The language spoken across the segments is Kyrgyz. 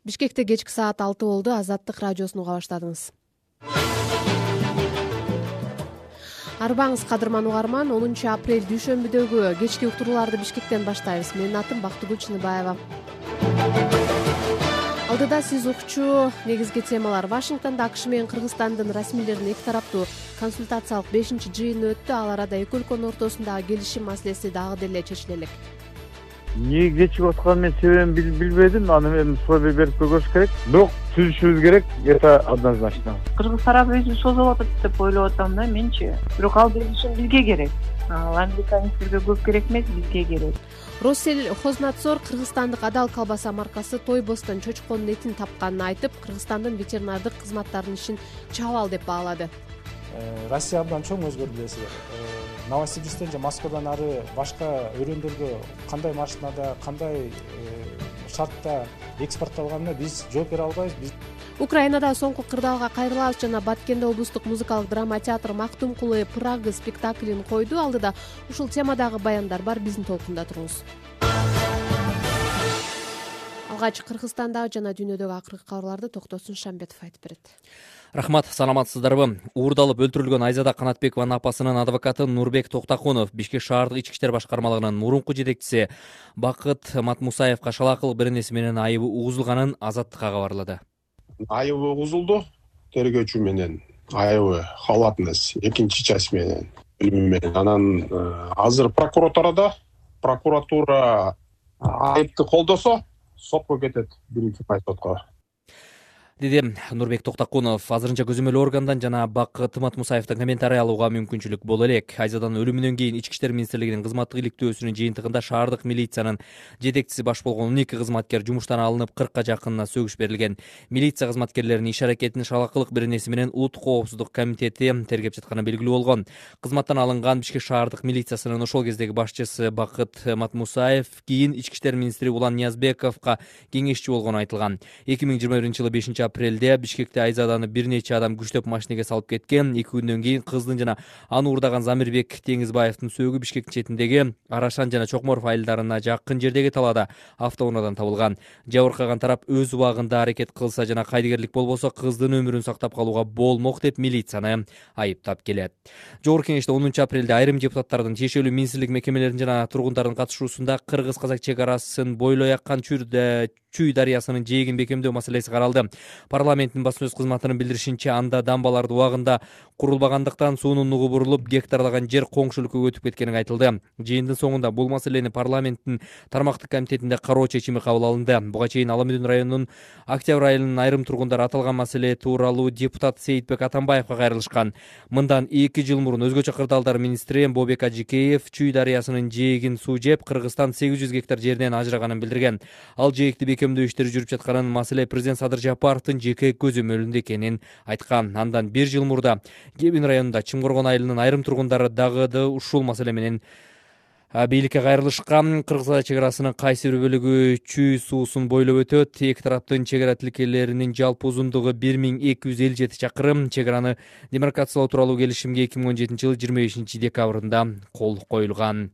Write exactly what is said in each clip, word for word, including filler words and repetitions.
Бишкекте кечки саат алты болду. Азаттык радиосун уга баштадыңыз. Арбаңыз кадырман угарман. онунчу апрель дүйшөмбүдөгү кечки уктурууларды Бишкектен баштайбыз. Менин атым Бактыгүл Чыныбаева. Алдыда сиз укчу негизги темалар. Вашингтонда АКШ менен Кыргызстандын расмийлеринин эки тараптуу консультациялык бешинчи жыйыны өттү. Ал арада эки өлкөнүн ортосундагы келишим маселеси дагы деле чечиле элек. Эмне кечигип атканын мен себебин билбедим. Аны мен суроо берип көрүш керек. Бирок түзүшүбүз керек. Это однозначно. Кыргыз тарап өзү созуп атат деп ойлоп атам да менчи. Бирок ал келишим бизге керек. Ал американецтерге көп керек эмес, бизге керек. Россельхознадзор Кыргызстандык адал колбаса маркасы Тойбостон чочконун этин тапканын айтып, Кыргызстандын ветеринардык кызматтарынын ишин чабал деп баалады. Россия абдан чоң өзгөрдү билесиздер. Новосибирсктен же Москвадан ары башка өрөөндөргө кандай машинада, кандай шартта экспортталганына биз жооп бере албайбыз. Биз Украинада соңку кырдаалга кайрылабыз жана Баткенде облустук музыкалык драма театр Мактум кулы Прага спектаклин койду. Алдыда ушул темадагы баяндар бар, биздин толкунда туруңуз. Алгач Кыргызстандагы жана дүйнөдөгү акыркы кабарларды Токтосун Шамбетов айтып берет. Рахмат, саламатсыздарбы? Уурдалып өлтүрүлгөн Айзада Канатбекованын апасынын адвокаты Нурбек Токтакунов Бишкек шаардык ички иштер башкармалыгынын мурунку жетекчиси Бакыт Матмусаевка шалаакылык беренеси менен айыбы угузулганын Азаттыкка кабарлады. Айыбы угузулду. Тергөөчү менен айыбы халатыныз экинчи часть менен билими менен. Анан азыр прокуратурада прокуратура айыпты колдосо сотко кетет, биринчи пай сотко. Деди Нурбек Токтакунов. Азырынча көзөмөл органдан жана Бакыт Матмусаевдин комментарий алууга мүмкүнчүлүк боло элек. Айзаданын өлүмүнөн кийин Ички иштер министрлигинин кызматтык иликтөөсүнүн жыйынтыгында шаардык милициянын жетекчиси баш болгон он эки кызматкер жумуштан алынып, кыркка жакынына сөгүш берилген. Милиция кызматкерлеринин иш аракетин шалаакылык беренеси менен Улуттук коопсуздук комитети тергеп жатканы белгилүү болгон. Кызматтан алынган Бишкек шаардык милициясынын ошол кездеги башчысы Бакыт Матмусаев кийин Ички иштер министри Улан Ниязбековго кеңешчи болгону айтылган. эки миң жыйырма биринчи жылы бешинчи апрелде Бишкекте Айзаданы бир нече адам күчтөп машинеге салып кеткен. эки күндөн кийин кыздын жана аны уурдаган Замирбек Теңизбаевдин сөөгү Бишкектин четиндеги Арашан жана Чокморов айылдарына жакын жердеги талаада автоунаадан табылган. Жабыркаган тарап өз убагында аракет кылса жана кайдыгерлик болбосо кыздын өмүрүн сактап калууга болмок деп милицияны айыптап келет. Жогорку кеңеште онунчу апрелде айрым депутаттардын тиешелүү министрлик мекемелеринин жана тургундардын катышуусунда кыргыз-казак чек арасын бойлой аккан Чүй дарыясынын жээгин бекемдөө маселеси каралды. Парламенттин басма сөз кызматынын билдиришинче, анда дамбаларды убагында курулбагандыктан суунун нугу бурулуп, гектарлаган жер коңшу өлкөгө өтүп кеткени айтылды. Жыйындын соңунда бул маселени парламенттин тармактык комитетинде кароо чечими кабыл алынды. Буга чейин Ала Мүдүн районунун Октябрь айылынын айрым тургундары аталган маселе тууралуу депутат Сейитбек Атамбаевга кайрылышкан. Мындан эки жыл мурун өзгөчө кырдаалдар министри Бобек Ажикеев Чүй дарыясынын жээгин суу жеп, Кыргызстан сегиз жүз гектар жерден ажыраганын билдирген. Ал жээгди бекемдөө иштери жүрүп жатканын, маселе президент Садыр Жапаровдун жеке көзөмөлүндө экенин айткан. Андан бир жыл мурда Кебин районунда Чымкоргон айылынын айрым тургундары дагы да ушул маселе менен бийликке кайрылышкан. Кыргыз чек арасынын кайсы бир бөлүгү Чүй суусун бойлоп өтөт. Эки тараптын чек ара тилкелеринин жалпы узундугу бир миң эки жүз элүү жети чакырым. Чек араны демаркациялоо тууралуу келишимге эки миң он жетинчи жылы жыйырма бешинчи декабрында кол коюлган.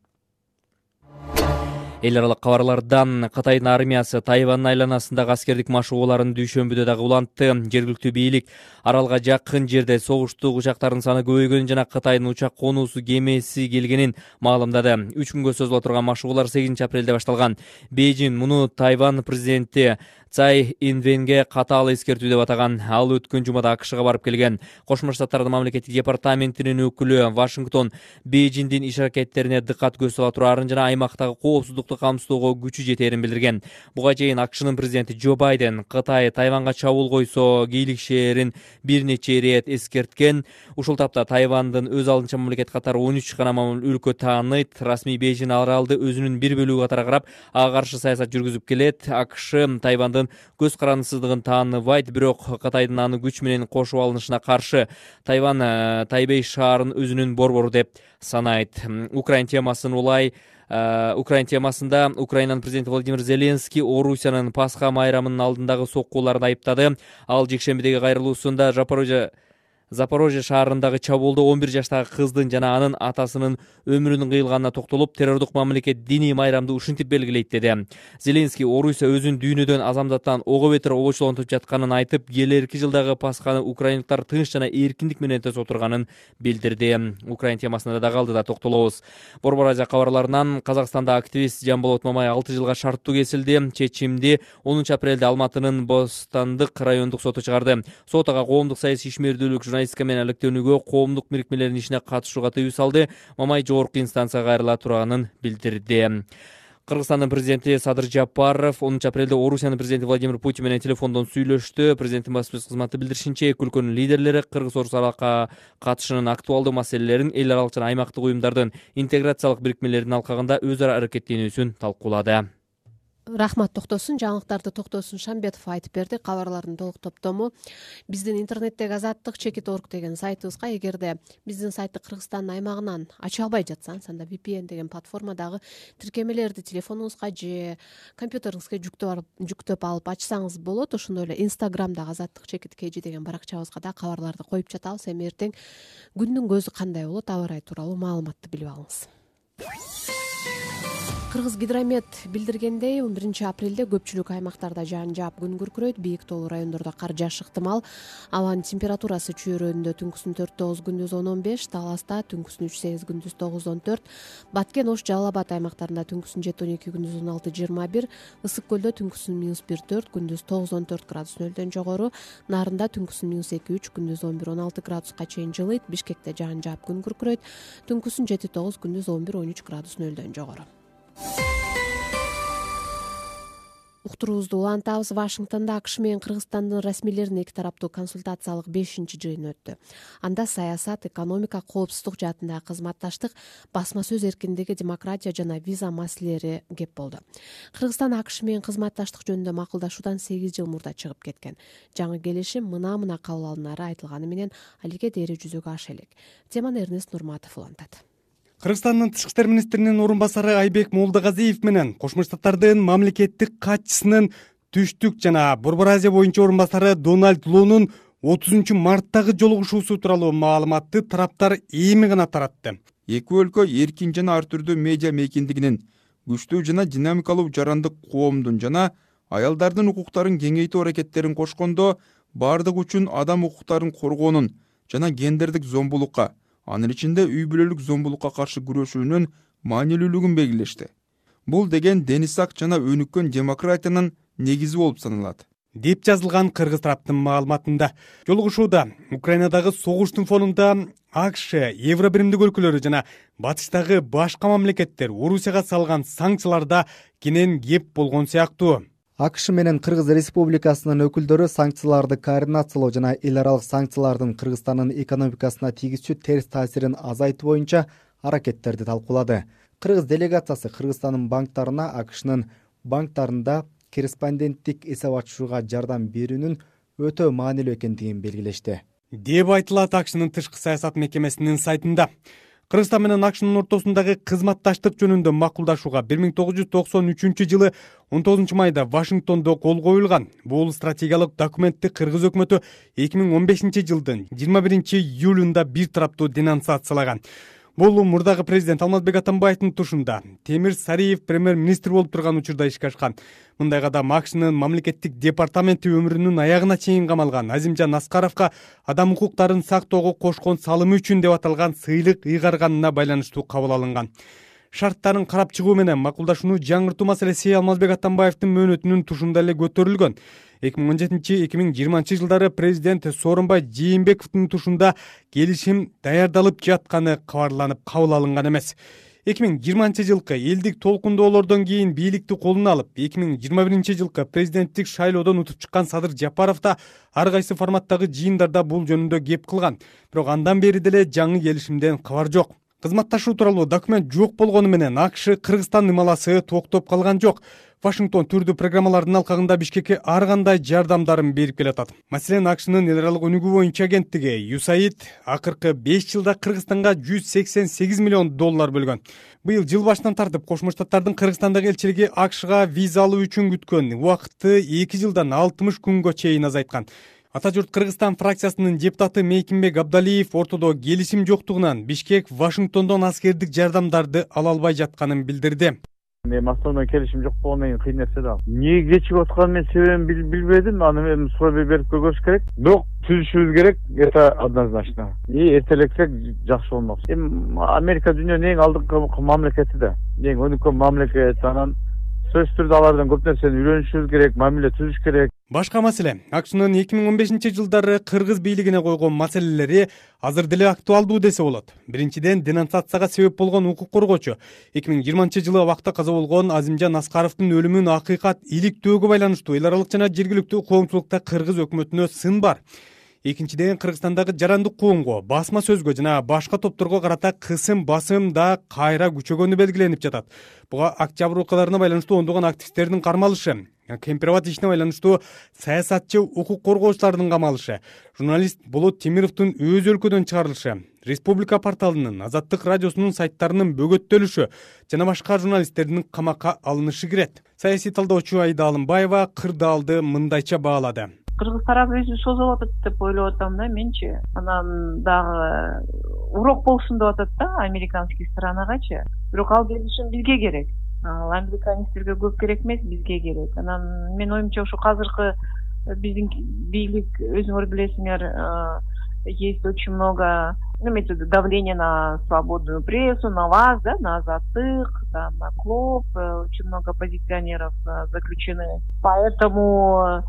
Эл аралык кабарлардан Кытайдын армиясы Тайвандын айланасындагы аскердик машыгууларын дүйшөмбүдө дагы улантты. Жергиликтүү бийлик аралга жакын жерде согуштук учактардын саны көбөйгөнүн жана Кытайдын учак конуусу кемеси келгенин маалымдады. үч күнгө созула турган машыгуулар сегизинчи апрелде башталган. Бейжин муну Тайвань президенти Цай Инвенге катаал эскертүү деп атаган. Ал өткөн жумада АКШга барып келген. Кошмо Штаттардын мамлекеттик департаментинин өкүлү Вашингтон Бейжиндин иш аракеттерине дыккат көз сала турарын жана аймактагы коопсуздукту камсыздоого күчү жетерин билдирген. Буга чейин АКШнын президенти Джо Байден Кытай Тайванга чабуул койсо кийлигишээрин бир нече ирет эскерткен. Ушул тапта Тайвандын өз алдынча мамлекет катары он үч гана өлкө тааныйт. Расмий Бейжин аралды өзүнүн бир бөлүгү катары карап, ага каршы саясат жүргүзүп келет. АКШ Тайвандын көз карандысыздыгын тааныбайт, бирок Кытайдын аны күч менен кошуп алынышына каршы Тайвань Тайбей шаарын өзүнүн борбору деп санайт. Украин темасын улай Украин темасында Украинанын президенти Владимир Зеленский Орусиянын Пасха майрамынын алдындагы соккууларын айыптады. Ал жекшембидеги кайрылуусунда Запорожье Запорожье шаарындагы чабуулда он бир жаштагы кыздын жана анын атасынын өмүрүнүн кыйылганына токтолуп, террордук мамлекет диний майрамды ушинтип белгилейт деди. Зеленский Орусия өзүн дүйнөдөн азамдаттан ого бетер обочулонтуп жатканын айтып, келерки жылдагы Пасханы украиндиктар тынч жана эркиндик менен өткөзө турганын билдирди. Украин темасына да калды да токтолобуз. Борбор Азия кабарларынан Казакстанда активист Жамболот Мамай алты жылга шарттуу кесилди. Чечимди онунчу апрелде Алматынын Бостандык райондук соту чыгарды. Сот ага коомдук саясий ишмердүүлүк, журналистика менен алектенүүгө, коомдук бирикмелердин ишине катышууга тыюу салды. Мамай жогорку инстанцияга кайрыла турганын билдирди. Кыргызстандын президенти Садыр Жапаров онунчу апрелде Орусиянын президенти Владимир Путин менен телефондон сүйлөштү. Президенттин баспасөз кызматы билдиришинче, эки өлкөнүн лидерлери Кыргыз-Орус аралыкка катышынын актуалдуу маселелерин, эл аралык жана аймактык уюмдардын интеграциялык бирикмелеринин алкагында өз ара аракеттенүүсүн талкуулады. Рахмат токтосун, жаңылыктарды Токтосун Шамбетов айтып берди. Кабарлардын толук топтому биздин интернеттеги азаттык чекит орг деген сайтыбызга, эгерде биздин сайтты Кыргызстандын аймагынан ача албай жатсаңыз, анда ви пи эн деген платформадагы тиркемелерди телефонуңузга же компьютериңизге жүктөп алып ачсаңыз болот. Ошондой эле Инстаграмдагы азаттык чекит кж деген баракчабызга да кабарларды коюп жатабыз. Эми эртең күндүн көзү кандай болот, аба ырайы тууралуу маалыматты билип алыңыз. Кыргыз гидромет билдиргендей, он биринчи апрелде көпчүлүк аймактарда жаан жаап, күн күркүрөйт, бийик тоолуу райондордо кар жаашы ыктымал. Абанын температурасы чүйрөөнүндө түнкүсүн төрт тогуз, күндүз он он беш, Таласта түнкүсүн үч сегиз, күндүз тогуз он төрт, Баткен, Ош, Жалал Абад аймактарында түнкүсүн жети он эки, күндүз он алты жыйырма бир, Ысык көлдө түнкүсүн минус бир төрт, күндүз тогуз он төрт градус нөлдөн жогору, Нарында түнкүсүн минус эки үч, күндүз он бир он алты градуска чейин жылыйт, Бишкекте жаан жаап, күн күркүрөйт, түнкүсүн жети тогуз, күндүз он бир он үч градус нөлдөн жогору. Уктуруубузду улантабыз. Вашингтонда АКШ менен Кыргызстандын расмийлеринин эки тараптуу консультациялык бешинчи жыйыны өттү. Анда саясат, экономика, коопсуздук жаатындагы кызматташтык, басма сөз эркиндиги, демократия жана виза маселелери кеп болду. Кыргызстан АКШ менен кызматташтык жөнүндө макулдашуудан сегиз жыл мурда чыгып кеткен. Жаңы келишим мына-мына кабыл алынары айтылганы менен алиге дээри жүзөгө аша элек. Теманы Эрнест Нурматов улантат. Кыргызстандын тышкы иштер министринин орун басары Айбек Молдогазиев менен Кошмо Штаттардын мамлекеттик катчысынын түштүк жана Борбор Азия боюнча орун басары Дональд Лунун отузунчу марттагы жолугушуусу тууралуу маалыматты тараптар эми гана таратты. Эки өлкө эркин жана ар түрдүү медиа мейкиндигинин, күчтүү жана динамикалуу жарандык коомдун жана аялдардын укуктарын кеңейтүү аракеттерин кошкондо бардык үчүн адам укуктарын коргоонун жана гендердик зомбулукка, анын ичинде үй бүлөлүк зомбулукка каршы күрөшүүнүн маанилүүлүгүн белгилешти. Бул деген денисак жана өнүккөн демократиянын негизи болуп саналат, деп жазылган кыргыз тараптын маалыматында. Жолугушууда Украинадагы согуштун фонунда АКШ, Евробиримдик өлкөлөрү жана батыштагы башка мамлекеттер Орусияга салган санкцияларда кенен кеп болгон сыяктуу. АКШ менен Кыргыз Республикасынын өкүлдөрү санкцияларды координациялоо жана эл аралык санкциялардын Кыргызстандын экономикасына тийгизчү терс таасирин азайтуу боюнча аракеттерди талкуулады. Кыргыз делегациясы Кыргызстандын банктарына АКШнын банктарында корреспонденттик эсеп ачышууга жардам берүүнүн өтө маанилүү экендигин белгилешти, деп айтылат АКШнын тышкы саясат мекемесинин сайтында. Кыргызстан менен АКШнын ортосундагы кызматташтык жөнүндө макулдашууга бир миң тогуз жүз токсон үчүнчү жылы он тогузунчу майда Вашингтондо кол коюлган. Бул стратегиялык документти Кыргыз өкмөтү эки миң он бешинчи жылдын жыйырма биринчи июлунда бир тараптуу денонсациялаган. Бул мурдагы президент Алмазбек Атамбаевдин тушунда Темир Сариев премьер-министр болуп турган учурда ишке ашкан. Мындайга да АКШнын мамлекеттик департаменти өмүрүнүн аягына чейин камалган Азимжан Аскаровго адам укуктарын сактоого кошкон салымы үчүн деп аталган сыйлык ыйгарганына байланыштуу кабыл алынган. Шарттарын карап чыгуу менен макулдашууну жаңыртуу маселеси Алмазбек Атамбаевдин мөөнөтүнүн тушунда эле көтөрүлгөн. эки миң он жетинчи эки миң жыйырманчы жылдары президент Сооронбай Жээнбековдун тушунда келишим даярдалып жатканы кабарланып кабыл алынган эмес. эки миң жыйырманчы жылкы элдик толкундоолордон кийин бийликти колуна алып, эки миң жыйырма биринчи жылкы президенттик шайлоодон утуп чыккан Садыр Жапаров да ар кайсы форматтагы жыйындарда бул жөнүндө кеп кылган. Бирок андан бери деле жаңы келишимден кабар жок. Кызматташуу тууралуу документ жок болгону менен АКШ Кыргызстан ымаласы токтоп калган жок. Вашингтон түрдүү программалардын алкагында Бишкекке ар кандай жардамдарын берип келатат. Маселен, АКШнын эл аралык өнүгүү боюнча агенттиги ю эс эй ай ди акыркы беш жылда Кыргызстанга жүз сексен сегиз миллион доллар бөлгөн. Быйыл жыл башынан тартып Кошмо Штаттардын Кыргызстандагы элчилиги АКШга виза алуу үчүн күткөн убакытты эки жылдан алтымыш күнгө чейин азайткан. Ата журт Кыргызстан фракциясынын депутаты Мейкимбек Абдалиев ортодо келишим жоктугунан Бишкек Вашингтондон аскердик жардамдарды ала албай жатканын билдирди. Эми Москвадан келишим жок болгондон кийин кыйын нерсе да. Эмнеге кечигип атканын мен себебин билбедим. Аны эми суроо берип көргөш керек. Бирок түзүшүбүз керек. Это однозначно. И эртелексек жакшы болмок. Эми Америка дүйнөнүн эң алдыңкы мамлекети да. Эң өнүккөн мамлекет. Анан сөзсүз түрдө алардан көп нерсени үйрөнүшүбүз керек, мамиле түзүш керек. Башка маселе, АКШнын эки миң он бешинчи жылдары кыргыз бийлигине койгон маселелери азыр деле актуалдуу десе болот. Биринчиден, денонсацияга себеп болгон укук коргоочу эки миң жыйырманчы жылы абакта каза болгон Азимжан Аскаровдун өлүмүн акыйкат иликтөөгө байланыштуу эл аралык жана жергиликтүү коомчулукта кыргыз өкмөтүнө сын бар. Экинчиден, Кыргызстандагы жарандык коомго, басма сөзгө жана башка топторго карата кысым басым да кайра күчөгөнү белгиленип жатат. Буга октябрь окуяларына байланыштуу ондогон активисттердин кармалышы, Кемпирабад ишине байланыштуу саясатчы укук коргоочулардын камалышы, журналист Болот Темировдун өз өлкөдөн чыгарылышы, Республика порталынын, Азаттык радиосунун сайттарынын бөгөттөлүшү жана башка журналисттердин камакка алынышы кирет. Саясий талдоочу Айда Алымбаева кырдаалды мындайча баалады. Кыргыз тарап өзү созулуп атат деп ойлоп атам да менчи. Анан дагы урок болсун деп атат да американский сторонагачы. Бирок ал келишим бизге керек. Ал американецтерге көп керек эмес, бизге керек. Анан менин оюмча ушу азыркы биздин бийлик, өзүңөр билесиңер, есть очень много методов давления на свободную прессу, на вас, да, на Азаттык, там, на Клуб, очень много оппозиционеров заключены. Поэтому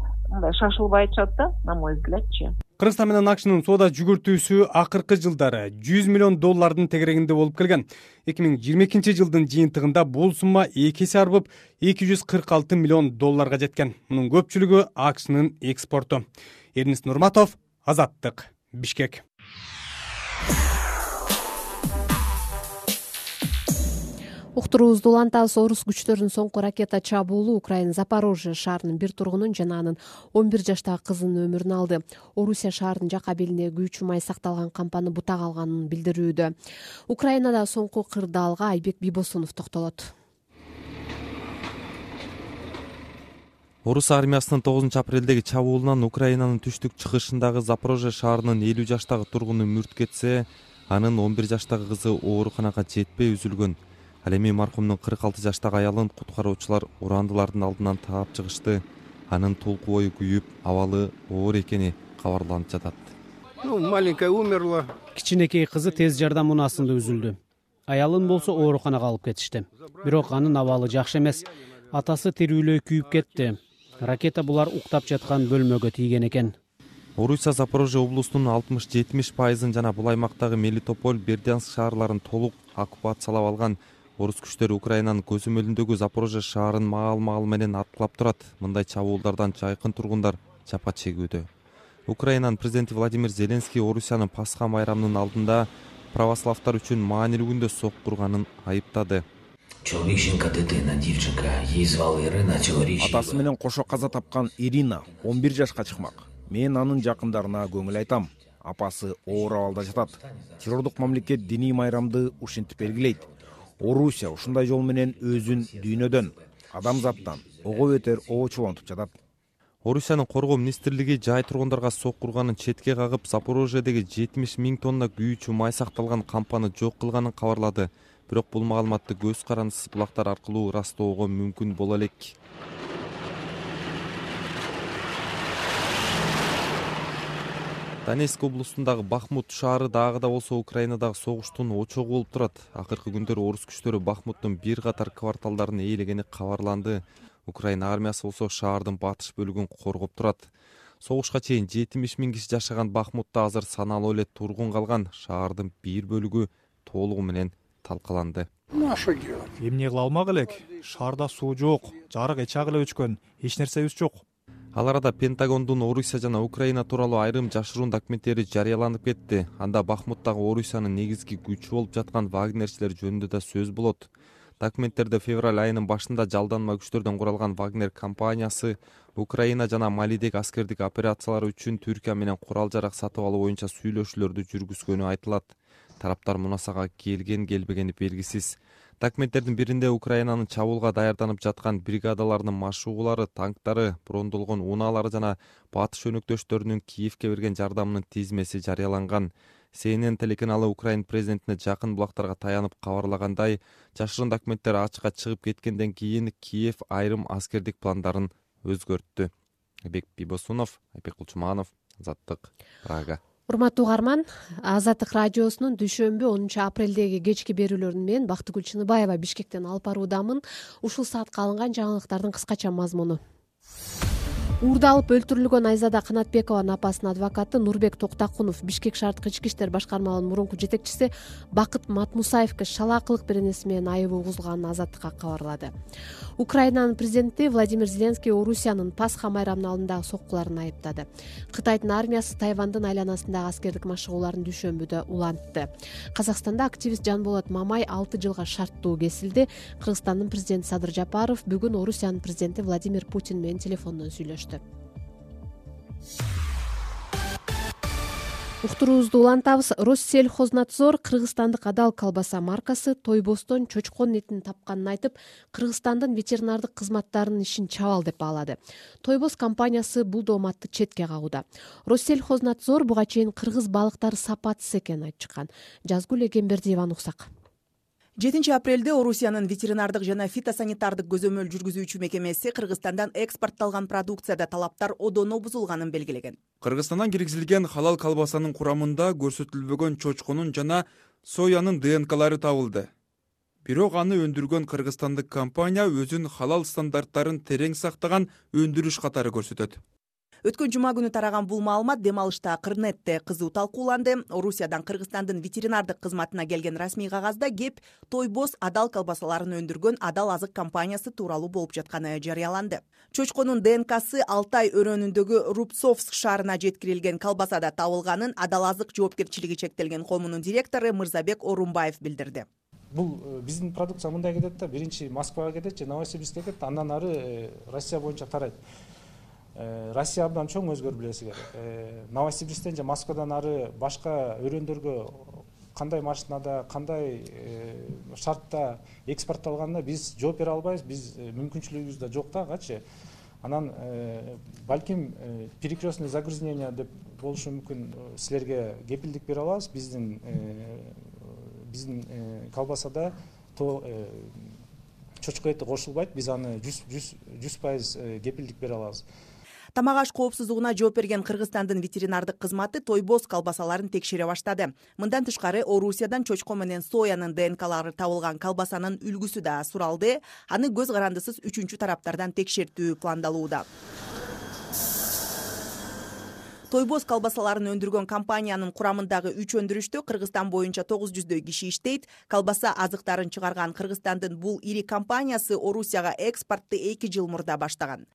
шашылбай атышат да, на мой взглядчы. Кыргызстан менен АКШнын соода жүгүртүүсү акыркы жылдары жүз миллион доллардын тегерегинде болуп келген. эки миң жыйырма экинчи жылдын жыйынтыгында бул сумма эки эсе арбып эки жүз кырк алты миллион долларга жеткен. Мунун көпчүлүгү АКШнын экспорту. Эрнис Нурматов, Азаттык, Бишкек. Уктуруубузду улантабыз. Орус күчтөрүнүн соңку ракета чабуулу Украина Запорожье шаарынын бир тургунун жана анын он бир жаштагы кызынын өмүрүн алды. Орусия шаарынын жака белине күйүүчү май сакталган кампаны бутак алганын билдирүүдө. Украинада соңку кырдаалга Айбек Бибосунов токтолот. Орус армиясынын тогузунчу апрелдеги чабуулунан Украинанын түштүк чыгышындагы Запорожье шаарынын элүү жаштагы тургуну мүрт кетсе, анын он бир жаштагы кызы ооруканага жетпей үзүлгөн. Ал эми маркумдун кырк алты жаштагы аялын куткаруучулар урандылардын алдынан таап чыгышты. Анын толку бою күйүп, абалы оор экени кабарланып жатат. Ну, маленькая умерла. Кичинекей кызы тез жардам унаасында үзүлдү. Аялын болсо ооруканага алып кетишти. Бирок анын абалы жакшы эмес. Атасы тирүүлөй күйүп кетти. Ракета булар уктап жаткан бөлмөгө тийген экен. Орусия Запорожье облусунун алтымыш жетимиш пайызын жана бул аймактагы Мелитополь, Бердянск шаарларын толук оккупациялап алган. Орус күчтөрү Украинанын көзөмөлүндөгү Запорожье шаарын маал-маал менен аткылап турат. Мындай чабуулдардан жайкын тургундар жапа чегүүдө. Украинанын президенти Владимир Зеленский Орусиянын Пасха майрамынын алдында православтар үчүн маанилүү күндө соккурганын айыптады. Атасы менен кошо каза тапкан Ирина он бир жашка чыкмак. Мен анын жакындарына көңүл айтам. Апасы оор абалда жатат. Террордук мамлекет диний майрамды ушинтип белгилейт. Орусия ушундай жол менен өзүн дүйнөдөн, адамзаттан ого бетер оочулантып жатат. Орусиянын коргоо министрлиги жай тургундарга соккурганын четке кагып, Запорожьедеги жетимиш миң тонна күйүүчү май сакталган кампаны жок кылганын кабарлады. Бирок бул маалыматты көз карандысыз булактар аркылуу ырастоого мүмкүн боло элек. Донецк облусундагы Бахмут шаары дагы да болсо Украинадагы согуштун очогу болуп турат. Акыркы күндөрү орус күчтөрү Бахмуттун бир катар кварталдарын ээлегени кабарланды. Украина армиясы болсо шаардын батыш бөлүгүн коргоп турат. Согушка чейин жетимиш миң киши жашаган Бахмутта азыр саналуу эле тургун калган. Шаардын бир бөлүгү толугу менен талкаланды. Эмне кыла алмак элек? Шаарда суу жок, жарык эчак эле өчкөн, эч нерсебиз жок. Ал арада Пентагондун Орусия жана Украина тууралуу айрым жашыруун документтери жарыяланып кетти. Анда Бахмуттагы Орусиянын негизги күчү болуп жаткан вагнерчилер жөнүндө да сөз болот. Документтерде февраль айынын башында жалданма күчтөрдөн куралган Вагнер компаниясы Украина жана Малидеги аскердик операциялары үчүн Түркия менен курал-жарак сатып алуу боюнча сүйлөшүүлөрдү жүргүзгөнү айтылат. Тараптар мунасага келген келбегени белгисиз. Документтердин биринде Украинанын чабуулга даярданып жаткан бригадаларынын машыгуулары, танктары, брондолгон унаалары жана батыш өнөктөштөрүнүн Киевке берген жардамынын тизмеси жарыяланган. Си Эн Эн телеканалы Украина президентине жакын булактарга таянып кабарлагандай, жашырын документтер ачыкка чыгып кеткенден кийин Киев айрым аскердик пландарын өзгөрттү. Айбек Бибосунов, Айбек Кулчуманов, Азаттык, Прага. Урматтуу угарман, Азаттык радиосунун дүйшөмбү онунчу апрелдеги кечки берүүлөрүн мен Бактыгүл Чыныбаева Бишкектен алып баруудамын. Ушул саатка алынган жаңылыктардын кыскача мазмуну. Уурдалып өлтүрүлгөн Айзада Канатбекованын апасынын адвокаты Нурбек Токтакунов Бишкек шаардык ички иштер башкармаларынын мурунку жетекчиси Бакыт Матмусаевке шалаакылык беренеси менен айып угузулганын Азаттыкка кабарлады. Украинанын президенти Владимир Зеленский Орусиянын Пасха майрамынын алдындагы соккуларын айыптады. Кытайдын армиясы Тайвандын айланасындагы аскердик машыгууларын дүйшөмбүдө улантты. Казакстанда активист Жанболот Мамай алты жылга шарттуу кесилди. Кыргызстандын президенти Садыр Жапаров бүгүн Орусиянын президенти Владимир Путин менен телефондон сүйлөштү. Уктуруубузду улантабыз. Россельхознадзор Кыргызстандык Адал колбаса маркасы Тойбостон чочкон этин тапканын айтып, Кыргызстандын ветеринардык кызматтарынын ишин чабал деп баалады. Тойбост компаниясы бул дооматты четке кагууда. Россельхознадзор буга чейин кыргыз балыктары сапатсыз экенин айтып чыккан. Жазгүл Эгембердиеваны уксак. жетинчи апрелде Орусиянын ветеринардык жана фитосанитардык көзөмөл жүргүзүүчү мекемеси Кыргызстандан экспортталган продукцияда талаптар одоно бузулганын белгилеген. Кыргызстандан киргизилген халал колбасанын курамында көрсөтүлбөгөн чочконун жана соянын Д Н Клары табылды. Бирок аны өндүргөн кыргызстандык компания өзүнүн халал стандарттарын терең сактаган өндүрүш катары көрсөтөт. Өткөн жума күнү тараган бул маалымат дем алышта Кырнетте кызуу талкууланды. Орусиядан Кыргызстандын ветеринардык кызматына келген расмий кагазда кеп Тойбоз Адал колбасаларын өндүргөн Адал азык компаниясы тууралуу болуп жатканы жарыяланды. Чочконун Д Н Ксы Алтай өрөөнүндөгү Рубцовск шаарына жеткирилген колбасада табылганын Адал азык жоопкерчилиги чектелген коомунун директору Мырзабек Орунбаев билдирди. Бул биздин продукция мындай кетет да, биринчи Москвага кетет же Новосибирскке кетет, андан ары Россия боюнча тарайт. Россия абдан чоң, өзгөр билесиңер. Новосибирсктен же Москвадан ары башка өрөөндөргө кандай машинада, кандай шартта экспортталганына биз жооп бере албайбыз, биз мүмкүнчүлүгүбүз да жок да ачы. Анан балким перекрестный загрязнение деп болушу мүмкүн, силерге кепилдик бере алабыз. Биздин биздин колбасада то чочко эти кошулбайт, биз аны жүз пайыз кепилдик бере алабыз. Тамак аш коопсуздугуна жооп берген Кыргызстандын ветеринардык кызматы Тойбоз колбасаларын текшере баштады. Мындан тышкары Орусиядан чочко менен соянын Д Н Клары табылган колбасанын үлгүсү да суралды. Аны көз карандысыз үчүнчү тараптардан текшертүү пландалууда. Тойбоз колбасаларын өндүргөн компаниянын курамындагы үч өндүрүштө Кыргызстан боюнча тогуз жүздөй киши иштейт. Колбаса азыктарын чыгарган Кыргызстандын бул ири компаниясы Орусияга экспортту эки жыл мурда баштаган.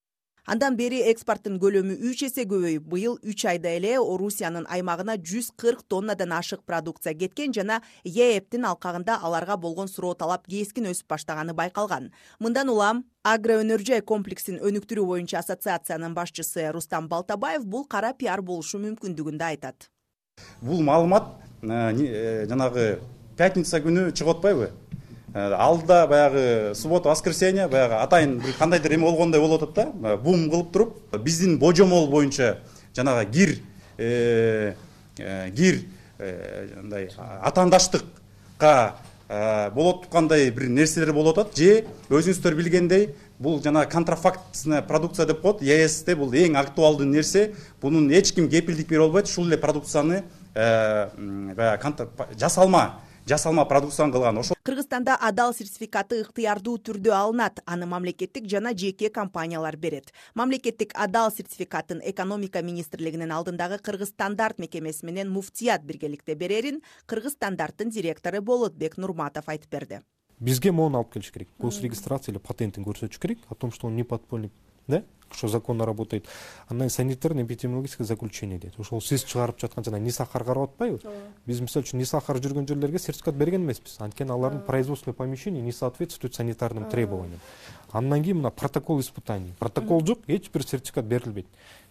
Андан бери экспорттун көлөмү үч эсе көбөйүп, быйыл үч айда эле Орусиянын аймагына жүз кырк тоннадан ашык продукция кеткен жана Е Э Б'тин алкагында аларга болгон суроо талап кескин өсүп баштаганы байкалган. Мындан улам Агроөнөр-жай комплексин өнүктүрүү боюнча ассоциациянын башчысы Рустам Балтабаев бул кара пиар болушу мүмкүндүгүн да айтат. Бул маалымат жанагы пятница күнү чыгып атпайбы? Алда баягы суббота, воскресенье, баягы атайын бир кандайдыр эме болгондой болуп атат да, бум кылып туруп, биздин божомол боюнча жанагы гир гир андай атаандаштыкка болот тургандай бир нерселер болуп атат, же өзүңүздөр билгендей бул жана контрафактная продукция деп коет. Е Э С'те бул эң актуалдуу нерсе. Бунун эч ким кепилдик бере албайт. Ушул эле продукцияны баягы жасалма жасалма продукцияны кылган. Ошол Кыргызстанда Адал сертификаты ыктыярдуу түрдө алынат. Аны мамлекеттик жана жеке компаниялар берет. Мамлекеттик Адал сертификатын экономика министрлигинин алдындагы Кыргыз стандарт мекемеси менен муфтият биргеликте берерин Кыргыз стандарттын директору Болотбек Нурматов айтып берди. Бизге моуну алып келиш керек. Госрегистрация или патентин көрсөтүш керек о том, что он не подпольный, да? Что законно работает. Андан санитарный эпидемиологическое заключение дейт. Ошол сиз чыгарып жаткан жана Нисахар карап атпайбы? Биз мисалы үчүн Нисахар жүргөн жерлерге сертификат берген эмеспиз. Анткени алардын производственный помещения не соответствует санитарным требованиям. Андан кийин мына протокол испытаний. Протокол жок, эч бир сертификат берилбейт.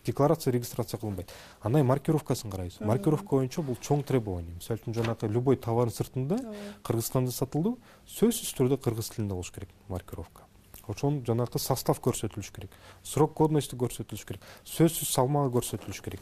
декларация регистрация кылынбайт. Андан маркировкасын карайбыз. Маркировка боюнча бул чоң требование. Мисалы үчүн жанагы любой товардын сыртында Кыргызстанда сатылды, сөзсүз түрдө кыргыз тилинде болуш керек маркировка. Ошонун жанагы состав көрсөтүлүш керек, срок годности көрсөтүлүш керек, сөзсүз салмагы көрсөтүлүш керек.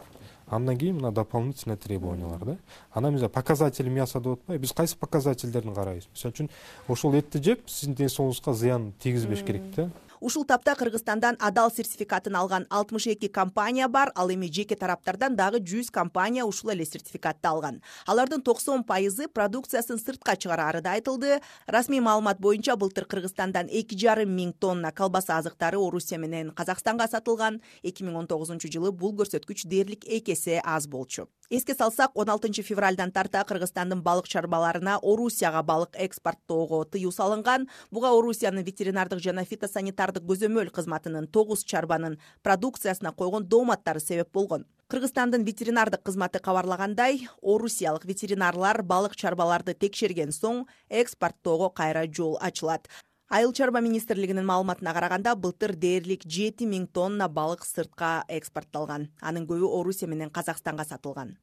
Андан кийин мына дополнительный требованиялар да. Анан мисалы показатели мяса деп атпайбы, биз кайсы показательдерин карайбыз? Мисалы үчүн ошол этти жеп сиздин ден соолугуңузга зыян тийгизбеш керек да. Ушул тапта Кыргызстандан адал сертификатын алган алтымыш эки компания бар, ал эми жеке тараптардан дагы жүз компания ушул эле сертификатты алган. Алардын токсон пайызы продукциясын сыртка чыгарары да айтылды. Расмий маалымат боюнча былтыр Кыргызстандан эки жарым миң тонна колбаса азыктары Орусия менен Казакстанга сатылган. эки миң он тогузунчу жылы бул көрсөткүч дээрлик эки эсе аз болчу. Эске салсак, он алтынчы февралдан тарта Кыргызстандын балык чарбаларына Орусияга балык экспорттоого тыюу салынган. Буга Орусиянын ветеринардык жана фитосанитардык көзөмөл кызматынын тогуз чарбанын продукциясына койгон дооматтары себеп болгон. Кыргызстандын ветеринардык кызматы кабарлагандай, орусиялык ветеринарлар балык чарбаларды текшерген соң экспорттоого кайра жол ачылат. Айыл чарба министрлигинин маалыматына караганда, былтыр дээрлик жети миң тонна балык сыртка экспортталган. Анын көбү Орусия менен Казакстанга сатылган.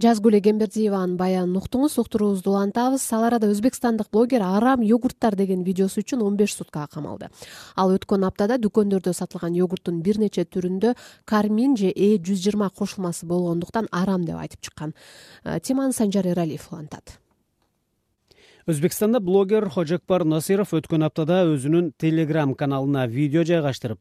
Жазгүл Эгембердиеванын баянын уктуңуз, уктуруубузду улантабыз. Ал арада өзбекстандык блогер арам йогурттар деген видеосу үчүн он беш суткага камалды. Ал өткөн аптада дүкөндөрдө сатылган йогурттун бир нече түрүндө кармин же э жүз жыйырма кошулмасы болгондуктан арам деп айтып чыккан. Теманы Санжар Эралиев улантат. Өзбекстанда блогер Хожекбар Насиров өткөн аптада өзүнүн Telegram каналына видео жайгаштырып,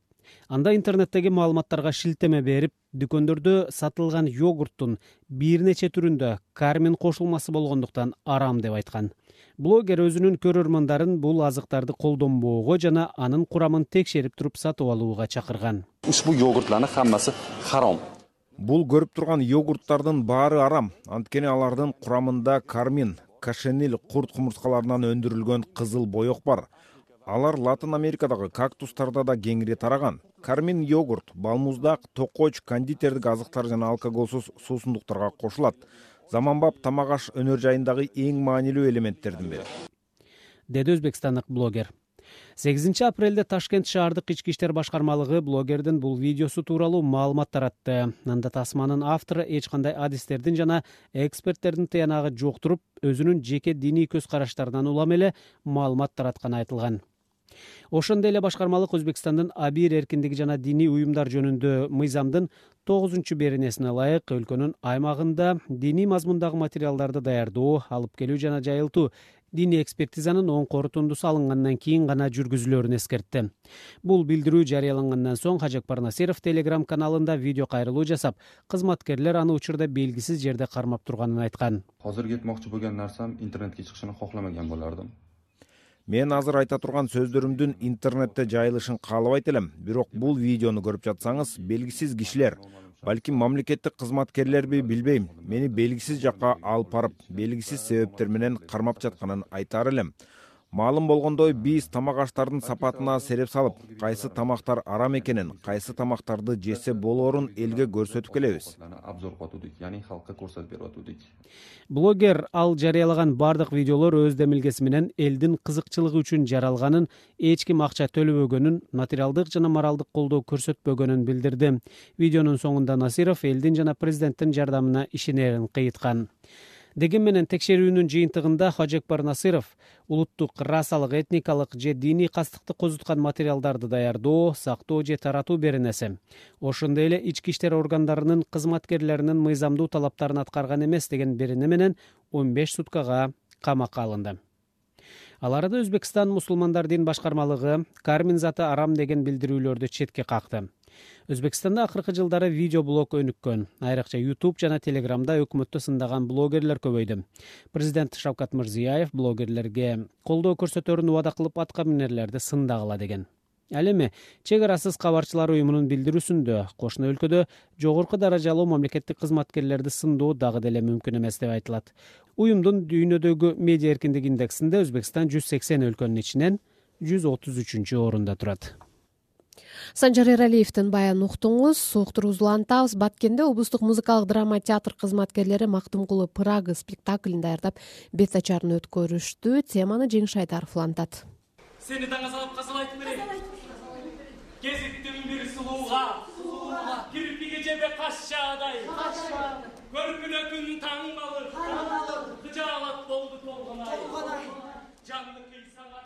анда интернеттеги маалыматтарга шилтеме берип, дүкөндөрдө сатылган йогурттун бир нече түрүндө кармин кошулмасы болгондуктан арам деп айткан. Блогер өзүнүн көрөрмандарын бул азыктарды колдонбоого жана анын курамын текшерип туруп сатып алууга чакырган. Ушбу йогуртлардын хаммасы харам. Бул көрүп турган йогурттардын баары арам, анткени алардын курамында кармин, кашенил курт кумурскаларынан өндүрүлгөн кызыл боек бар. Алар Латын Америкадагы кактустарда да кеңири тараган. Кармин йогурт, балмуздак, токоч, кондитердик азыктар жана алкоголсуз суусундуктарга кошулат. Заманбап тамак аш өнөр жайындагы эң маанилүү элементтердин бири, деди өзбекстандык блогер. сегизинчи апрелде Ташкент шаардык ички иштер башкармалыгы блогердин бул видеосу тууралуу маалымат таратты. Анда тасманын автору эч кандай адистердин жана эксперттердин тыянагы жок туруп, өзүнүн жеке диний көз караштарынан улам эле маалымат таратканы айтылган. Ошондой эле башкармалык Өзбекстандын абийир эркиндиги жана диний уюмдар жөнүндө мыйзамдын тогузунчу беренесине ылайык өлкөнүн аймагында диний мазмундагы материалдарды даярдоо, алып келүү жана жайылтуу диний экспертизанын оң корутундусу алынгандан кийин гана жүргүзүлөрүн эскертти. Бул билдирүү жарыялангандан соң Хожекбар Насиров Telegram каналында видео кайрылуу жасап, кызматкерлер аны учурда белгисиз жерде кармап турганын айткан. Азыр кетмокчу болгон нарсам интернетке чыгышын кокламаган болардым. Мен азыр айта турган сөздөрүмдүн интернетте жайылышын каалабайт элем, бирок бул видеону көрүп жатсаңыз, белгисиз кишилер, балким мамлекеттик кызматкерлерби билбейм, мени белгисиз жакка алып барып, белгисиз себептер менен кармап жатканын айтар элем. Маалым болгондой, биз тамак аштардын сапатына сереп салып, кайсы тамактар арам экенин, кайсы тамактарды жесе болоорун элге көрсөтүп келебиз. Обзор кылып, яны халкка көрсөтүп берип атуудuk. Блогер ал жарыялаган бардык видеолор өз демилгеси менен элдин кызыкчылыгы үчүн жаралганын, эч ким акча төлөбөгөнүн, материалдык жана моралдык колдоо көрсөтпөгөнүн билдирди. Видеонун соңунда Насиров элдин жана президенттин жардамына ишенерин кыйыткан. Деген менен текшерүүнүн жыйынтыгында Хожекбар Насиров улуттук, расалык, этникалык же диний кастыкты козуткан материалдарды даярдоо, сактоо же таратуу беренеси, ошондой эле ички иштер органдарынын кызматкерлеринин мыйзамдуу талаптарын аткарган эмес деген берене менен он беш суткага камакка алынды. Ал арада Өзбекстан мусулмандар дин башкармалыгы кармин заты арам деген билдирүүлөрдү четке какты. Өзбекстанда акыркы жылдары видеоблог өнүккөн. Айрыкча YouTube жана Telegramда өкмөттү сындаган блогерлер көбөйдү. Президент Шавкат Мирзиёев блогерлерге колдоо көрсөтөрүн убада кылып атка минерлерди сындагыла деген. Ал эми чек арасыз кабарчылар уюмунун билдирүүсүндө кошуна өлкөдө жогорку даражалуу мамлекеттик кызматкерлерди сындоо дагы деле мүмкүн эмес деп айтылат. Уюмдун дүйнөдөгү медиа эркиндик индексинде Өзбекстан жүз сексен өлкөнүн ичинен жүз отуз үчүнчү орунда турат. Санжар Эралиевдин баянын уктуңуз, уктуруубузду улантабыз. Баткенде облустук музыкалык драма театр кызматкерлери Мактумкулу Прага спектаклин даярдап, бет ачарын өткөрүштү. Теманы Жеңиш Айдаров улантат. Сени таңга салып казалайтын берейин. Кезиктин бир сулууга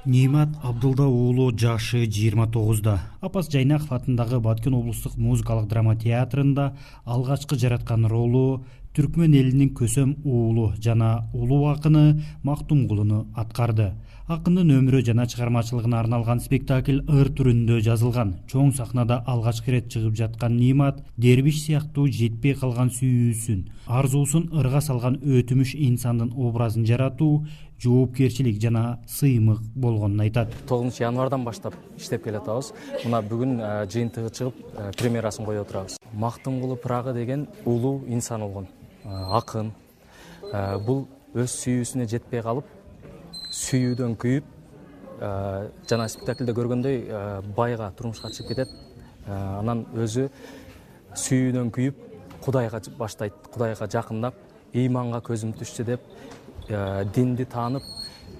Нимат Абдулда уулу жашы жыйырма тогузда. Апас Жайнаков атындагы Баткен облустук музыкалык драма театрында алгачкы жараткан ролу түркмөн элинин көсөм уулу жана улуу акыны Мактумгулуну аткарды. Акындын өмүрү жана чыгармачылыгына арналган спектакль ыр түрүндө жазылган. Чоң сахнада алгачкы ирет чыгып жаткан Нимат дербиш сыяктуу жетпей калган сүйүүсүн, арзуусун ырга салган өтүмүш инсандын образын жаратуу жоопкерчилик жана сыймык болгонун айтат. тогузунчу январдан баштап иштеп келатабыз. Мына бүгүн жыйынтыгы чыгып премьерасын коюп отурабыз. Мактумгулу Прага деген улуу инсан болгон, акын. Бул өз сүйүүсүнө жетпей калып, сүйүүдөн күйүп, жана спектакльде көргөндөй байга турмушка чыгып кетет. Анан өзү сүйүүдөн күйүп, Кудайга баштайт, Кудайга жакындап, ыйманга көзүм түштү деп, динди таанып,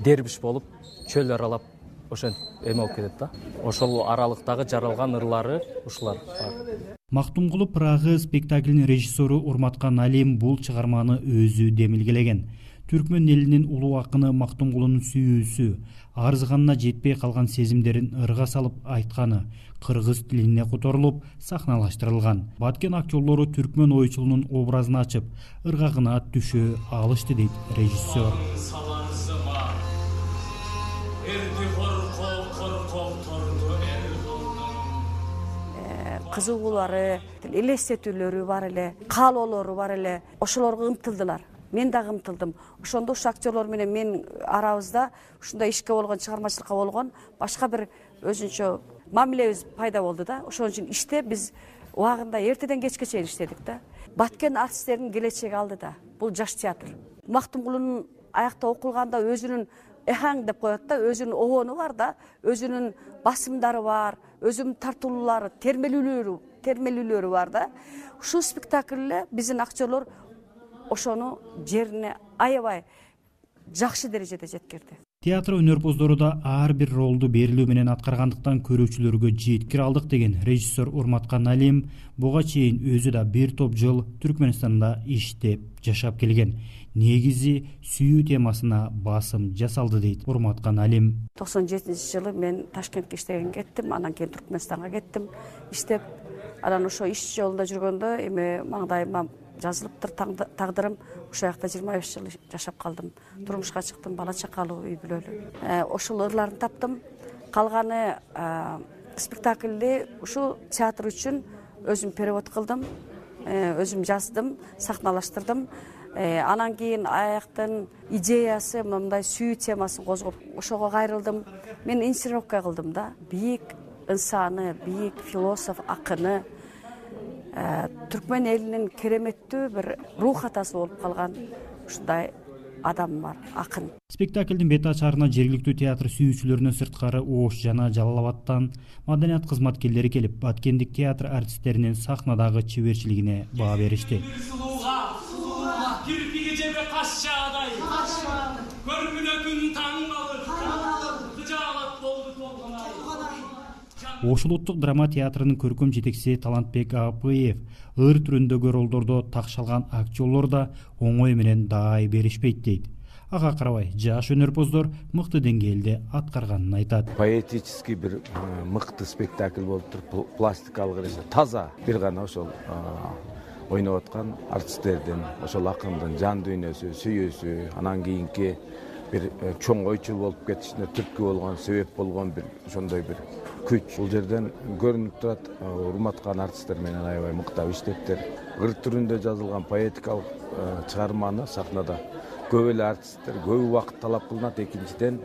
дербиш болуп, чөл аралап, ошентип эме болуп кетет да. Ошол аралыктагы жаралган ырлары ушулар бар. Мактумгулу Прага спектаклинин режиссеру Урматкан Алим бул чыгарманы өзү демилгелеген. Түркмөн элинин улуу акыны Мактумгулунун сүйүүсү, арзыганына жетпей калган сезимдерин ырга салып айтканы кыргыз тилине которулуп, сахналаштырылган. Баткен актерлору түркмөн ойчулунун образын ачып, ыргагына түшө алышты дейт режиссер. Кызыгуулары, элестетүүлөрү бар эле, каалоолору бар эле. Ошолорго ымтылдылар. Мен дагы ымтылдым. Ошондо ушу актерлор менен мен арабызда ушундай ишке болгон, чыгармачылыкка болгон башка бир өзүнчө мамилебиз пайда болду да. Ошон үчүн иште биз убагында эртеден кечке чейин иштедик да. Баткен артисттеринин келечеги алдыда. Бул жаш театр. Мактумгулунун аякта окулганда өзүнүн эхаң деп коет да, өзүнүн обону бар да, өзүнүн басымдары бар, өзүнүн тартуулуулары, термелүүлөрү, термелүүлөрү бар да. Ушул спектакльде биздин актерлор ошону жерине аябай жакшы дережеде жеткирди. Театр өнөрпоздору да ар бир ролду берилүү менен аткаргандыктан көрүүчүлөргө жеткире алдык деген режиссер Урматкан Алим буга чейин өзү да бир топ жыл Түркмөнстанда иштеп жашап келген. Негизи сүйүү темасына басым жасалды дейт Урматкан Алим. токсон жетинчи жылы мен Ташкентке иштеген кеттим, анан кийин Түркмөнстанга кеттим иштеп. Анан ошо иш жолунда жүргөндө эми маңдайыма жазылыптыр тагдырым. Ошол жакта жыйырма беш жыл жашап калдым. Турмушка чыктым, бала чакалуу, үй бүлөлүү. Ошол ырларын таптым. Калганы спектакльди ушул театр үчүн өзүм перевод кылдым, өзүм жаздым, сахналаштырдым. Анан кийин аяктын идеясы мындай сүйүү темасын козгоп, ошого кайрылдым. Мен инсценировка кылдым да. Бийик инсаны, бийик философ, акыны, түркмөн элинин кереметтүү бир рух атасы болуп калган ушундай адам бар, акын. Спектаклдин бет ачарына жергиликтүү театр сүйүүчүлөрүнөн сырткары Ош жана Жалал Абадтан маданият кызматкерлери келип, Баткендик театр артисттеринин сахнадагы чеберчилигине баа беришти. Кирпиги жебе каш жаадай, көрүнүнө күн таң калыр, кыжаалат болду толгонай. Ош улуттук драма театрынын көркөм жетекчиси Талантбек Апыев ыр түрүндөгү ролдордо такшалган актерлор да оңой менен даай беришпейт дейт. Ага карабай, жаш өнөрпоздор мыкты деңгээлде аткарганын айтат. Поэтический бир мыкты спектакль болуптур, пластикалык эре таза бир гана ошол ойноп аткан артисттердин, ошол акындын жан дүйнөсү, сүйүүсү, анан кийинки бир чоң ойчул болуп кетишине түрткү болгон, себеп болгон бир ошондой бир күч. Бул жерден көрүнүп турат, урматкан артисттер менен аябай мыктап иштептир. Ыр түрүндө жазылган поэтикалык чыгарманы сахнада көп эле артисттер көп убакыт талап кылынат. Экинчиден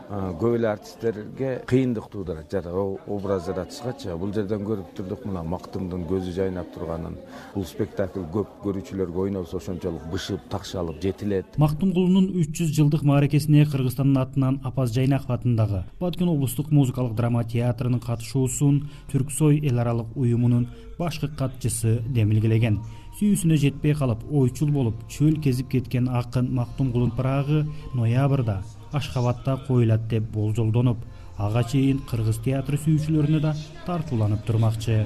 көп эле артисттерге кыйындык туудурат жада образ жаратышкачы. Бул жерден көрүп турдук мына Мактумдун көзү жайнап турганын. Бул спектакль көп көрүүчүлөргө ойнолсо ошончолук бышып, такшалып жетилет. Мактумгулунун үч жүз жылдык мааракесине Кыргызстандын атынан Апас Жайнаков атындагы Баткен облустук музыкалык драма театрынын катышуусун Түрксой эл аралык уюмунун башкы катчысы демилгелеген. Сүйүүсүнө жетпей калып, ойчул болуп, чөл кезип кеткен акын Мактумгулун Прагы ноябрда Ашхабадта коюлат деп болжолдонуп, ага чейин кыргыз театры сүйүүчүлөрүнө да тартууланып турмакчы.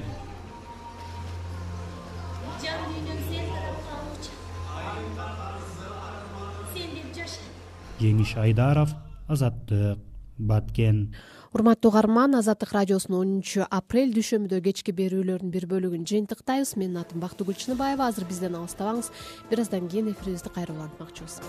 Жеңиш Айдаров, Азаттык, Баткен. Урматтуу угарман, Азаттык радиосунун онунчу апрель дүйшөмбүдө кечки берүүлөрүнүн бир бөлүгүн жыйынтыктайбыз. Менин атым Бактыгүл Чыныбаева. Азыр бизден алыстабаңыз. Бир аздан кийин эфирибизди кайра улантмакчыбыз.